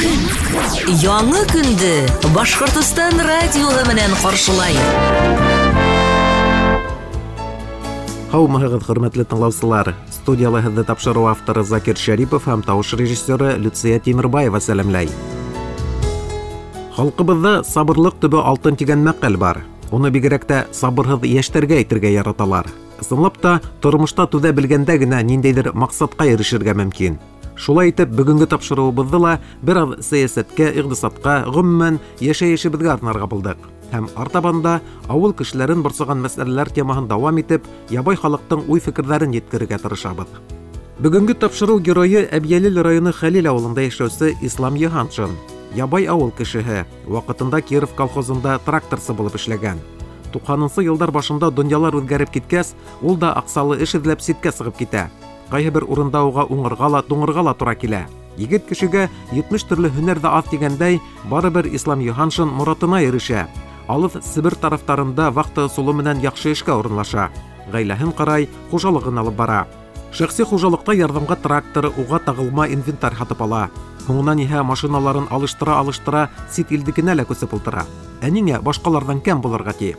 Көн. Яңы көндө Башҡортостан радиоһы менән ҡаршылай. Һаумыһығыҙ, хөрмәтле тыңлаусылар. Студияла һеҙҙе тапшырыу авторы Закир Шәрипов һәм тауыш режиссеры Люция Тимербаева сәләмләй. Халҡыбыҙҙа сабырлыҡ төбө алтын тигән мәҡәл бар. Уны бигерәк тә сабырһыҙ йәштәргә әйтергә яраталар. Ысынлап та, тормошта түҙә белгәндә генә ниндәйҙер маҡсатҡа ирешергә мөмкин. Шулай итеп, бөгөнгө тапшырыуыбыҙҙы ла бер аҙ сәйәсәткә, иҡтисадҡа, ғөмүмән, йәшәйешебеҙгә арнарға булдыҡ. Һәм артабан да ауыл кешеләрен борсоған мәсьәләләр темаһын дауам итеп, ябай халыҡтың уй-фекерҙәрен еткерергә тырышабыҙ. Бөгөнгө тапшырыу геройы Әбйәлил районы Хәлил ауылында йәшәүсе Ислам Йыһаншин. Ябай ауыл кешеһе, ваҡытында Киров колхозында тракторсы булып эшләгән. 90-нсы йылдар башында донъялар үҙгәреп киткәс, ул да аҡсалы эш эҙләп ситкә сығып китә. Ҡайһы бер урында уға уңырға ла, туңырға ла тура килә. Егет кешегә 70 төрлө һөнәр ҙә аҙ тигәндәй, барыбер Ислам Йыһаншин моратына ирешә. Алыҫ Себер тарафтарында вахта ысулы менән яҡшы эшкә урынлаша. Ғаиләһен ҡарай, хужалығын алып бара. Шәхси хужалыҡта ярҙамға трактор, уға тағылма инвентарь һатып ала. Һуңынан иһә машиналарын алыштыра-алыштыра сит илдекенә лә күсеп ултыра. Ә ниңә башҡаларҙан кәм булырға ти?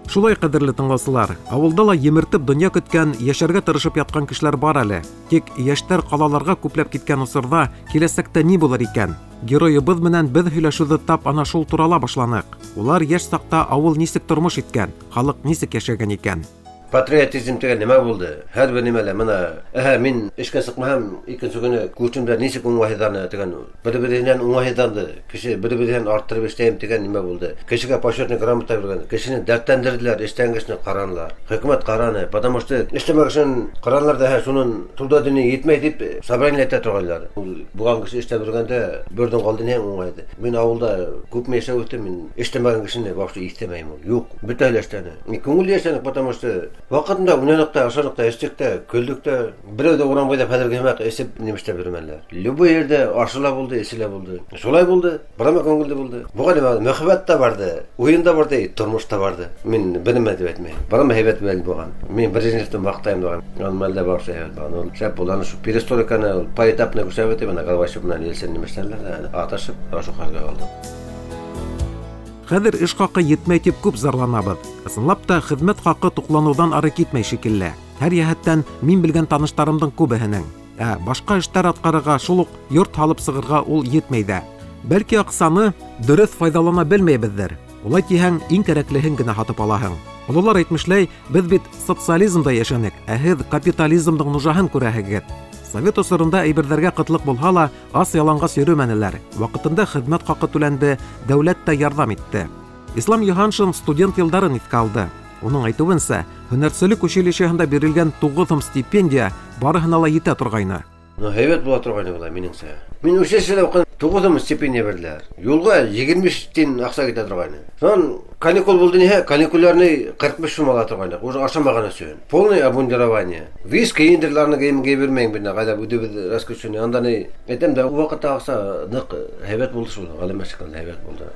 Шулай, ҡәҙерле тыңлаусылар, ауылда ла емертеп донъя көткән, йәшәргә тырышып ятҡан кешеләр бар әле. Тик йәштәр ҡалаларға күпләп киткән осорҙа киләсәктә ни булыр икән? Геройыбыҙ менән беҙ һөйләшеүҙе тап ана шул турала башланыҡ. Улар йәш саҡта ауыл нисек тормош иткән, халыҡ нисек йәшәгән икән? Патриотизм тигән нимә булды? Һәр бер нимәлә мына, әһә, мин эшкә сыҡмаһам, икенсе көнө күршемдәр нисек уңайһыҙланы тигән, бер-береһенән уңайһыҙланды. Кеше бер-береһенән арттырып эшләйем тигән нимә булды? Кешегә почетный грамота биргән, кешене дәртләндерҙеләр, эштән кешене ҡаранылар. Хөкүмәт ҡараны, потому что эшләмәк өсөн ҡаранылар да, әһә, шунын труда дини етмәй тип собрание әйтә торғайнылар. Ул булған кеше эшләп йөрөгәндә берҙең ҡалды ни уңайҙы. Мин ауылда күпме йәшәп үҫтем, мин эшләмәгән кешене вообще иҫтәмәйем ул. Юҡ, бөтәһе лә эшләне. Мин күңелле йәшәнек, потому что ваҡытында уйнаныҡ та, ашаныҡ та, эстек тә, көлдөк тә. Берәү ҙә урам буйлап хәҙерге һымаҡ эсеп нимә эшләп йөрөмәнеләр. Любой ерҙә ашы ла булды, эсе лә булды. Шулай булды, бырама күңелле булды. Быға нимә, мөхәббәт тә барҙы, уйын да барҙы, тормош та барҙы. Мин бер нәмә тип әйтмәйем. Бырама һәйбәт мәл булған. Мин Брежневты маҡтайым булған. Ул мәлдә барсы һәйбәт булған. Ул шәп булған. Шу перестройканы ул поэтапно күрсәтеп үтеп, ана Горбачев менән Ельцин нимә эшләнеләр ҙә, атышып, ошо хәлгә ҡалды. Хәҙер эш хаҡы етмәй тип күп зарланабыҙ. Ысынлап та, хеҙмәт хаҡы туҡланыуҙан ары китмәй шикелле. Һәр йәһәттән мин белгән таныштарымдың күбеһенең. Ә башҡа эштәр атҡарырға, шул уҡ йорт һалып сығырға ул етмәй ҙә. Бәлки аҡсаны дөрөҫ файҙалана белмәйбеҙҙер. Улай тиһәң, иң кәрәклеһен генә һатып алаһың. Ололар әйтмешләй, беҙ бит социализмда йәшәнек, ә һеҙ капитализмдың нужаһын күрәһегеҙ. Совет осоронда әйберҙәргә ҡытлыҡ булһа ла, ас яланғас йөрөмәнеләр. Ваҡытында хеҙмәт хаҡы түләнде, дәүләт тә ярҙам итте. Ислам Йыһаншин студент йылдарын иҫкә алды. Уның әйтеүенсә, һөнәрселек училищеһында бирелгән 9 һум стипендия барыһына ла етә торғайны. Ну, һәйбәт була торғайны былай, минеңсә. Мин училищеда уҡыным, 9 һум стипендия бирҙеләр. Юлға егерме биш тин аҡса китә торғайны. Шунан каникул булды ниһә, каникулярный ҡырҡ биш һум ала торғайны. Уже ашамаған өсөн. Полное обмундирование. Вис кейендерларны кейем кейеп йөрөмәйем бит, ҡайҙа үҙебеҙ раскручивание. Анда ни, әйтәм дә, ул ваҡытта аҡса ныҡ һәйбәт булды шул, ғәләмә шикелле һәйбәт булды.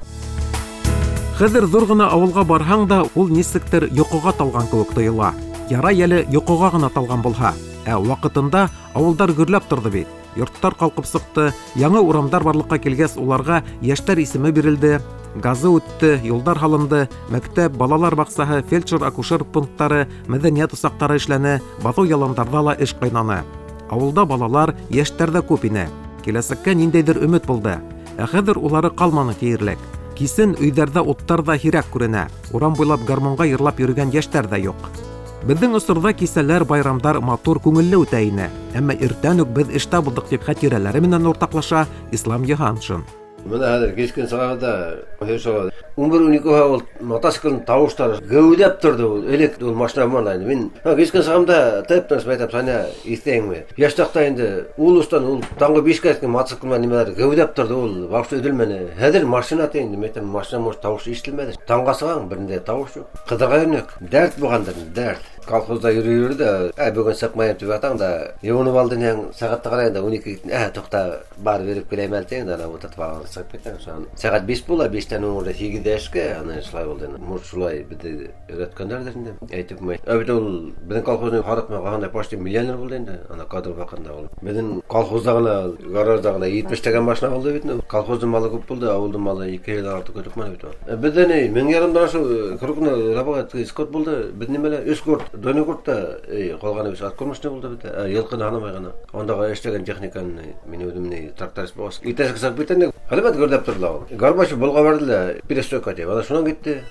Хәҙер ҙур ғына ауылға барһаң да, ул нисектер йоҡоға талған кеүек тойола. Ярай әле йоҡоға ғына талған булһа. Ә ваҡытында ауылдар гөрләп торҙо бит. Йорттар ҡалҡып сыҡты, яңы урамдар барлыҡҡа килгәс, уларға йәштәр исеме бирелде, газы үтте, юлдар һалынды, мәктәп, балалар баҡсаһы, фельдшер-акушер пункттары, мәҙәниәт усаҡтары эшләне, баҫыу яландарҙа ла эш ҡайнаны. Ауылда балалар, йәштәр ҙә күп ине. Киләсәккә ниндәйҙер өмөт булды. Ә хәҙер улары ҡалманы тиерлек. Кисен өйҙәрҙә уттар ҙа һирәк күренә. Урам буйлап гармунға йырлап йөрөгән йәштәр ҙә юҡ. Беҙҙең осорҙа кисәләр, байрамдар матур, күңелле үтә ине. Әммә иртән үк беҙ эштә булдыҡ тип хәтирәләре менән уртаҡлаша Ислам Йыһаншин. Бына хәҙер кискен сығабыҙ да, һөй сығабыҙ. Ун бер, ун ике ул мотоциклдың тауыштары геүләп торҙо ул. Элек ул машина булманы инде. Мин кискен сығам да, тып-тыныс әйтәм, Саня, иҫтәйеңме? Йәш саҡта инде ул остан, ул таңғы бишкә еткән мотоцикл менән нимәләр геүләп торҙо ул, вообще өҙөлмәне. Хәҙер машина ти инде, мин әйтәм, машина может тауыш ишетелмәне. Таңға сығаң, бер ниндәй тауыш юҡ. Ҡыҙырға йөрөнөк. Дәрт булғандыр, дәрт. Колхозда йөрөй йөрөй ҙә, бөгөн сыҡмайым тип ятаң да, йыуынып алдың һәм сәғәтте ҡарайың да, ун ике, туҡта, барып йөрөп киләйем әле тиң дә, ана ултыртып алған сығып китәң. Шунан сәғәт биш була, биштән һуң уже һигеҙ Һигеҙҙә эшкә, ана шулай булды. Может, шулай беҙҙе өйрәткәндәрҙер инде. Әйтеп булмай. Ә бит ул беҙҙең колхозның һарыҡ менән ҡалғанда почти миллионер булды инде. Ана кадр ваҡытында ул. Беҙҙең колхозда ғына, гаражда ғына 70 машина булды бит. Колхоздың малы күп булды, ауылдың малы 2 йылдан артыҡ көтөп бит ул. Беҙҙә ни 1500 ашыу крупный рабага скот булды. Беҙ нимәлә 3 корт, дойный корт та ҡалғаны бит откормочный булды бит. Йылҡыны һанамай ғына. Ундағы эшләгән техниканы мин үҙем ни тракторист булғас. Иртәнсәк сығып китәм. Әлбәттә гөрләп торҙо ул. Горбачев болға барҙы ла, перестройка тип. Ана шунан китте.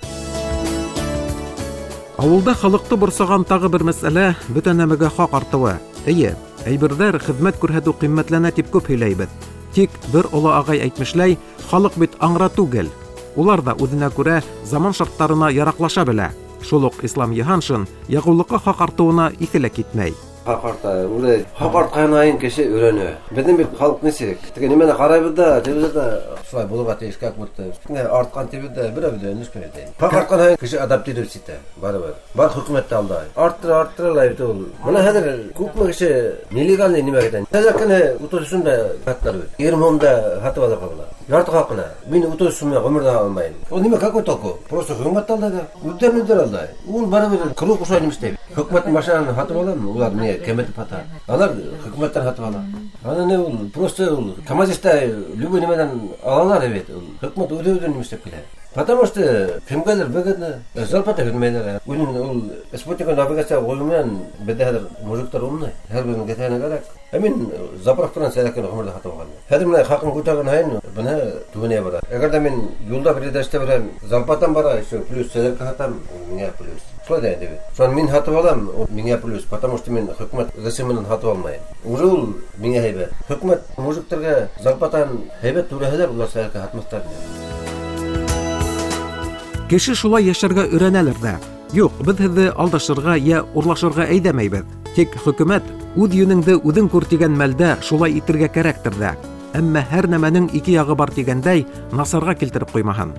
Ауылда халыҡты борсоған тағы бер мәсьәлә бөтә нәмәгә хаҡ артыуы. Эйе, әйберҙәр, хеҙмәт күрһәтеү ҡиммәтләнә тип күп һөйләйбеҙ. Тик бер оло ағай әйтмешләй, халыҡ бит аңра түгел. Улар да үҙенә күрә заман шарттарына яраҡлаша белә. Шул уҡ Ислам Йыһаншин яғыулыҡҡа хаҡ артыуына иҫе лә китмәй. Хаҡ арта, уже хаҡ артҡан һайын кеше өйрәнә. Беҙҙең бит халыҡ нисек? Теге нимәне ҡарайбыҙ да, телевизорҙа шулай булырға тейеш, как будто. Артҡан тибеҙ ҙә, берәү ҙә өндәшмәй. Хаҡ артҡан һайын кеше адаптироваться итә, барыбер. Бар хөкүмәт тә алдай. Арттыра, арттыра ла бит ул. Бына хәҙер күпме кеше нелегальный нимә китә. Хәҙер кенә 30 һум да һаттылар бит. 20 һум да һатып алырға була. Ярты хаҡына. Мин 30 һум ғүмерҙә алмайым. Ул нимә, какой толку? Просто хөкүмәт алдай ҙа, үҙҙәрен үҙҙәре алдай. Ул барыбер круг ошолай нимә эшләй. Хөкүмәттең машинаһын һатып алам, улар не кәметеп һата. Алар хөкүмәттән һатып ала. Ана не ул, просто ул КАМАЗиста любой нимәнән алалар бит. Ул хөкүмәт үҙе үҙен нимә эшләп килә. Потому что кемгәлер выгодно, зарплата бирмәйләр. Үҙен ул спутник навигация ҡуйыу менән беҙҙә хәҙер мужиктар умный. Һәр береһенең кеҫәһенә кәрәк. Ә мин заправканан сәләкән ғүмерҙә һатып алғанмын. Хәҙер менә хаҡын күтәргән һайын бына түбәнәйә бара. Әгәр ҙә мин юлда бер ерҙә эшләп барам, зарплатам бара, еще плюс сәләкә һатам, миңә плюс. Шулай ҙа инде бит. Шунан мин һатып алам, ул миңә плюс, потому что мин хөкүмәт рәсеменән һатып алмайым. Уже ул миңә һәйбәт. Хөкүмәт мужиктарға зарплатан һәйбәт түләһәләр, улар сәләкә һатмаҫтар ине. Кеше шулай йәшәргә өйрәнәлер ҙә. Юҡ, беҙ һеҙҙе алдашырға йә урлашырға әйҙәмәйбеҙ. Тик хөкүмәт үҙ йүнеңде үҙең күр тигән мәлдә шулай итергә кәрәктер ҙә. Әммә һәр нәмәнең ике яғы бар тигәндәй, насарға килтереп ҡуймаһын.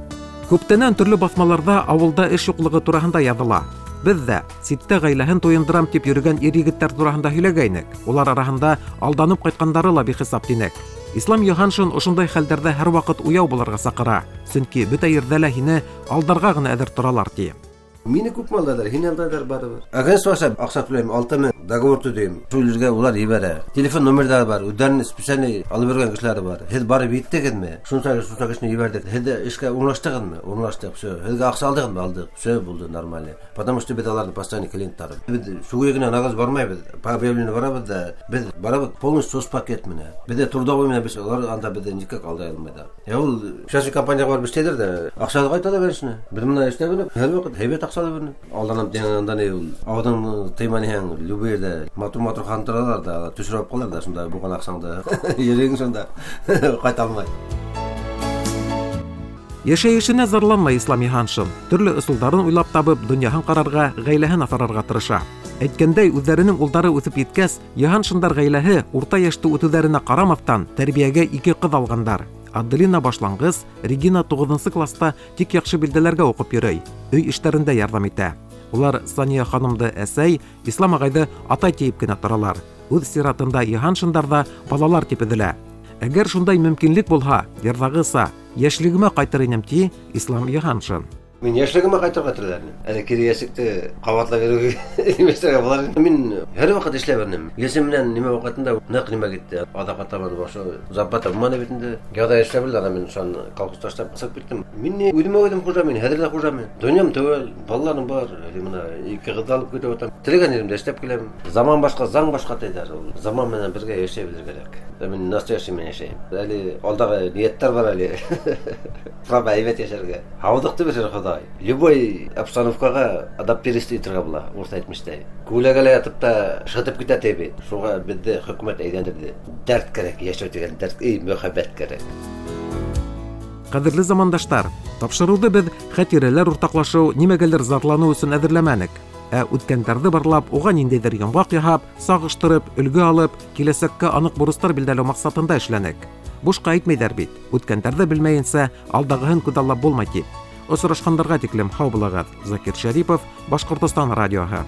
Күптәнән төрлө баҫмаларҙа ауылда эш юҡлығы тураһында яҙыла. Беҙ ҙә ситтә ғаиләһен туйындырам тип йөрөгән ир-егеттәр тураһында һөйләгәйнек. Улар араһында алданып ҡайтҡандары ла бихисап тинек. Ислам Йыһаншин ошондай хәлдәрҙә һәр ваҡыт уяу булырға саҡыра. Сөнки бөтә ерҙә лә һине алдарға ғына әҙер торалар ти. Мине күпме алдайҙар, һине алдайҙар барыбер. Агентство аша аҡса түләйем, 6000 договор төҙөйөм. Шул ергә улар ебәрә. Телефон номерҙары бар, үҙҙәренең специальный алып биргән кешеләре бар. Һеҙ барып еттегеҙме? Шунса, шунса кешене ебәрҙек. Һеҙ эшкә урынлаштығыҙмы? Урынлаштыҡ, всё. Һеҙгә аҡса алдығыҙмы? Алдыҡ. Всё булды нормально. Потому что беҙ аларҙың постоянный клиенттары. Беҙ шуға генә нағыз бармайбыҙ. По объявлению барабыҙ да, беҙ барабыҙ полностью соцпакет менән. Беҙҙә трудовой менән беҙ улар анда беҙҙе никак алдай алмайҙар. Ә ул частный компанияға барып эшләйҙәр ҙә, аҡса ҡайта ла берешне. Беҙ менән эшләп биреп, һәр ваҡыт һәйбәт аҡса ла бирне. Алданып дигән анда ни ул, ауҙың тыйманыһаң, любой ерҙә матур-матур хан торалар да, төшөрөп ҡалалар да, шунда булған аҡсаңды йөрәгең шунда ҡайта алмай. Йәшәйешенә зарланмай Ислам Йыһаншин. Төрлө ысулдарын уйлап табып, донъяһын ҡарарға, ғаиләһен аҫырарға тырыша. Әйткәндәй, үҙҙәренең улдары үҫеп еткәс, Йыһаншиндар ғаиләһе урта йәште үтеүҙәренә ҡарамаҫтан тәрбиәгә ике ҡыҙ алғандар. Аделина башланғыс, Регина 9 класста тик яҡшы билдәләргә уҡып йөрөй, өй эштәрендә ярҙам итә. Улар Сания ханымды әсәй, Ислам ағайҙы атай тиеп кенә торалар. Үҙ сиратында Йыһаншиндар ҙа балалар тип өҙөлә. Әгәр шундай мөмкинлек булһа, йырҙағыса, йәшлегемә ҡайтыр инем, ти Ислам Йыһаншин. Мин йәшлегемә ҡайтырға теләр инем. Әле кире йәшлекте ҡабатлап йөрөүгә нимәштәргә булар инем. Мин һәр ваҡыт эшләп йөрөнөм. Йәшем менән нимә ваҡытында ныҡ нимә китте. Аҙаҡ табан башы зарплата булманы бит инде. Яҙа эшләп белде, ана мин шунан колхоз ташлап сығып киттем. Мин ни үҙемә үҙем хужа, мин хәҙер ҙә хужа мин. Донъям түгел, балаларым бар. Әле бына ике ҡыҙ алып китеп ятам. Теләгән еремдә эшләп киләм. Заман башҡа, заң башҡа тиҙәр. Ул заман менән бергә йәшәй белергә кәрәк. Мин настоящий менән йәшәйем. Әле алдағы ниәттәр бар әле. Право әйбәт йәшәргә. Һаулыҡты бирер Хоҙай. Любой обстановкаға адаптироваться итергә була, урыҫ әйтмештәй. Күләгәлә ятып та шытып китә ти бит. Шуға беҙҙе хөкүмәт әйләндерҙе. Дәрт кәрәк, йәшәү тигән дәрт, эй, мөхәббәт кәрәк. Ҡәҙерле замандаштар, тапшырыуҙы беҙ хәтирәләр уртаҡлашыу, нимәгәлер зарланыу өсөн әҙерләмәнек. Ә үткәндәрҙе барлап, уға ниндәйҙер йомғаҡ яһап, сағыштырып, өлгө алып, киләсәккә аныҡ бурыстар билдәләү маҡсатында эшләнек. Бушҡа әйтмәйҙәр бит, үткәндәрҙе белмәйенсә, алдағыһын күҙаллап булмай тип. Осрашҡандарға тиклем һау булығыҙ. Закир Шәрипов, Башҡортостан радиоһы.